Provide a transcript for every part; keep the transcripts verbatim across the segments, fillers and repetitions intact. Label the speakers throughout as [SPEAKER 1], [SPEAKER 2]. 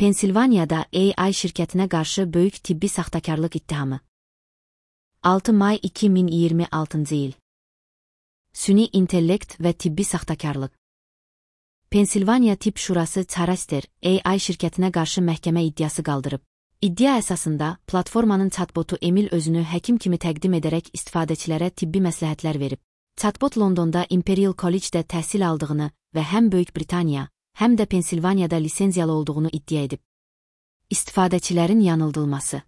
[SPEAKER 1] Pensilvaniyada A I şirkətinə qarşı böyük tibbi saxtakarlıq ittihamı. altı may iki min iyirmi altıncı il. Süni intellekt və tibbi saxtakarlıq. Pensilvaniya Tibb Şurası Charaster A I şirkətinə qarşı məhkəmə iddiası qaldırıb. İddia əsasında platformanın chatbotu Emil özünü həkim kimi təqdim edərək istifadəçilərə tibbi məsləhətlər verib. Chatbot Londonda Imperial College-də təhsil aldığını və həm Böyük Britaniya, həm də Pensilvaniyada lisenziyalı olduğunu iddia edib. İstifadəçilərin yanıldılması.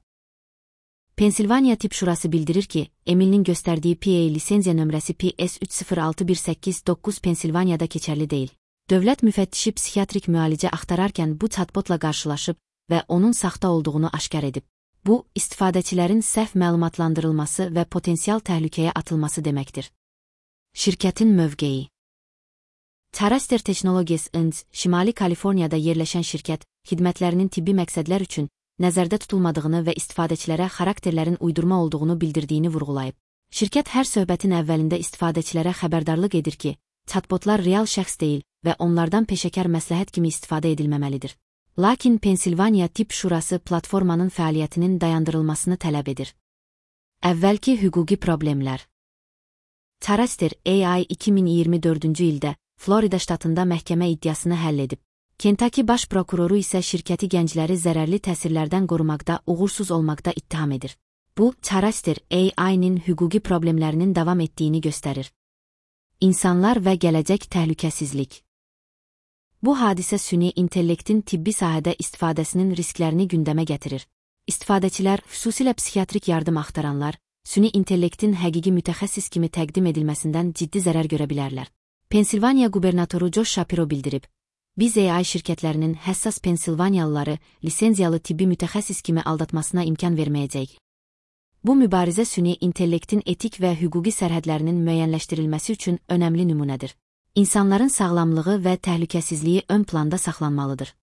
[SPEAKER 1] Pensilvaniya Tibb Şurası bildirir ki, Emil'in göstərdiyi P A lisenziya nömrəsi P S üç sıfır altı bir səkkiz doqquz Pensilvaniyada keçərli deyil. Dövlət müfəttişi psixiatrik müalicə axtararkən bu chatbotla qarşılaşıb və onun saxta olduğunu aşkar edib. Bu, istifadəçilərin səhv məlumatlandırılması və potensial təhlükəyə atılması deməkdir. Şirkətin mövqeyi. Charaster Technologies Incorporated, Şimali Kaliforniyada yerləşən şirkət, xidmətlərinin tibbi məqsədlər üçün nəzərdə tutulmadığını və istifadəçilərə xarakterlərin uydurma olduğunu bildirdiyini vurğulayıb. Şirkət hər söhbətin əvvəlində istifadəçilərə xəbərdarlıq edir ki, chatbotlar real şəxs deyil və onlardan peşəkar məsləhət kimi istifadə edilməməlidir. Lakin Pensilvaniya Tibb Şurası platformanın fəaliyyətinin dayandırılmasını tələb edir. Əvvəlki hüquqi problemlər. Charaster A I iki min iyirmi dördüncü ildə Florida ştatında məhkəmə iddiasını həll edib. Kentucky baş prokuroru isə şirkəti gəncləri zərərli təsirlərdən qorumaqda uğursuz olmaqda ittiham edir. Bu, Charaster A I-nin hüquqi problemlərinin davam etdiyini göstərir. İnsanlar və gələcək təhlükəsizlik. Bu hadisə süni intellektin tibbi sahədə istifadəsinin risklərini gündəmə gətirir. İstifadəçilər, xüsusilə psixiatrik yardım axtaranlar, süni intellektin həqiqi mütəxəssis kimi təqdim edilməsindən ciddi zərər görə bilərlər. Pensilvaniya qubernatoru Josh Shapiro bildirib, biz A I şirkətlərinin həssas Pensilvaniyalıları lisenziyalı tibbi mütəxəssis kimi aldatmasına imkan verməyəcək. Bu mübarizə süni intellektin etik və hüquqi sərhədlərinin müəyyənləşdirilməsi üçün önəmli nümunədir. İnsanların sağlamlığı və təhlükəsizliyi ön planda saxlanmalıdır.